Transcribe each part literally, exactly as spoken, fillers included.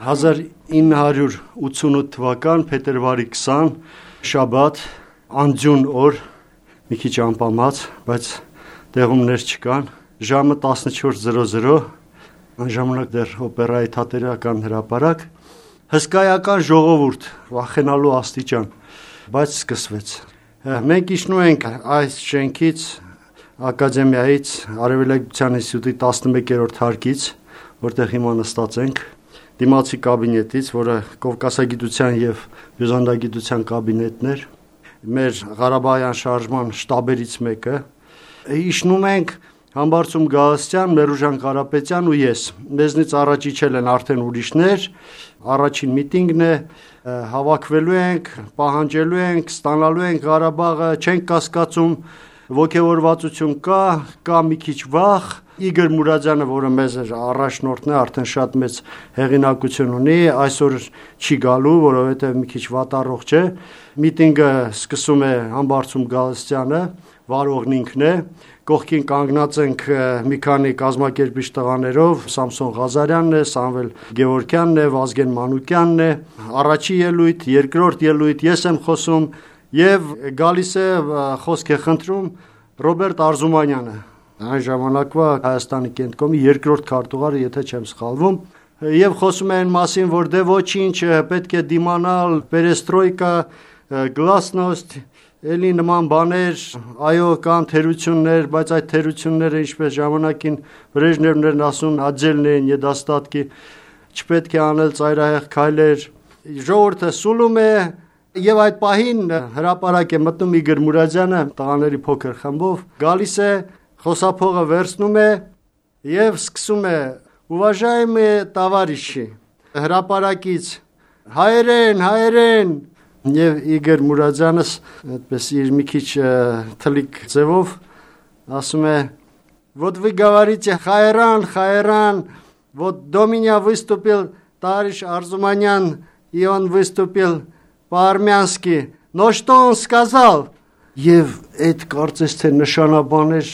հազար ինը հարյուր ութսունութ թվական փետրվարի քսան շաբաթ անձյուն օր մի քիչ անպամած, բայց տեղումներ չկան, ժամը տասնչորս զրո զրո այն ժամանակ դեռ օպերայի թատերական հրապարակ, հսկայական ժողովուրդ, վախենալու աստիճան, բայց սկսվեց։ Մենք իջնում ենք այս շենքից, ակադեմիայից, Արևելագիտության ինստիտուտի տասնմեկերորդ հարկից, որտեղ հիմա նստած ենք, դիմացի կաբինետից, որը Կովկասագիտության և հյուզանդագիտության կաբինետն էր, մեր Ղարաբաղյան շարժման շտաբերից մեկը, իջնում ենք Համբարձում Գալստյան, Մերուժան Կարապետյան ու ես, մեզնից առաջ իջել են արդեն ուրիշներ, առաջին միտինգն է, հավաքվելու ենք, պահանջելու ենք, ստանալու ենք Ղարաբաղը, չենք կասկածում, ոգևորվածություն կա, կա մի քիչ վախ, Իգոր Մուրադյանը, որը մեզ առաջնորդն է, արդեն շատ մեծ հեղինակություն ունի, այսօր չի գալու, որովհետև մի քիչ վատառողջ է, միտինգը սկսում է Համբարձում Գալստյանը, վարողն ինքն է, կողքին կանգնած ենք մի քանի կազմակերպիչ տղաներով, Սամսոն Ղազարյանն է, Սամվել Գևորգյանն է, Վազգեն Մանուկյանն է, առաջի ելույթ, երկրորդ ելույթ, ես եմ խոսում եւ գալիս է խոսք է խնդրում Ռոբերտ Արզումանյանը, այն ժամանակվա Հայաստանի Կենտկոմի երկրորդ քարտուղարը, եթե չեմ սխալվում, եւ խոսում է այն մասին, որ դե ոչինչ պետք է դիմանալ, պերեստրոյկա, գլասնոստ, էլի նման բաներ, այո, կան թերություններ, բայց այդ թերությունները ինչպես ժամանակին Բրեժնևներն ասում, աջելն են եդաստատկի, չպետք է անել ծայրահեղ քայլեր, ժողովուրդը սուլում է, եւ այդ պահին հրապարակ է մտնում Իգոր Մուրադյանը, տղաների փոքր խմբով, գալիս է, խոսափողը վերցնում է եւ սկսում է «Уважаемые товарищи», հրապարակից «Հայերեն, հայերեն», Եվ Իգոր Մուրադյանս այդպես իր մի քիչ թլիկ ձևով ասում է «Вот вы говорите Хайран, Хайран, вот до меня выступил товарищ Арзуманян, и он выступил по-армянски, но что он сказал?» Եվ այդ կարծես թե նշանաբան էր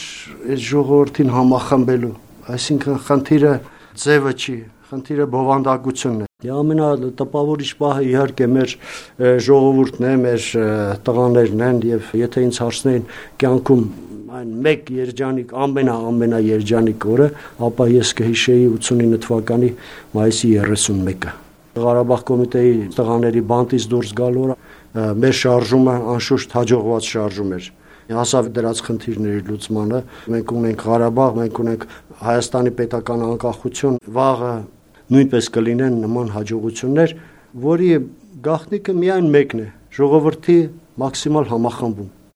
այդ ժողովրդին համախմբելու, այսինքն խնդիրը ձևը չի, խնդիրը բովանդակությունն է։ Ամենատպավորիչ պահը իհարկե մեր ժողովուրդն է, մեր տղաներն են եւ եթե ինձ հարցնեին կյանքում այն մեկ երջանիկ, ամենա-ամենա երջանիկ օրը, ապա ես կհիշեի ութսունինը թվականի մայիսի երեսունմեկը։ Ղարաբաղ կոմիտեի տղաների բանտից դուրս գալու օրը մեր շարժումը անշուշտ հաջողված շարժում էր։ Հասավ դրած խնդիրների լուծմանը, մենք ունենք Ղարաբաղ, մենք ունենք Հայաստանի պետական անկախություն, վաղը նույնպես կլինեն նման հաջողություններ, որի գաղտնիքը միայն մեկն է՝ ժողովրդի մաքսիմալ համախմբում։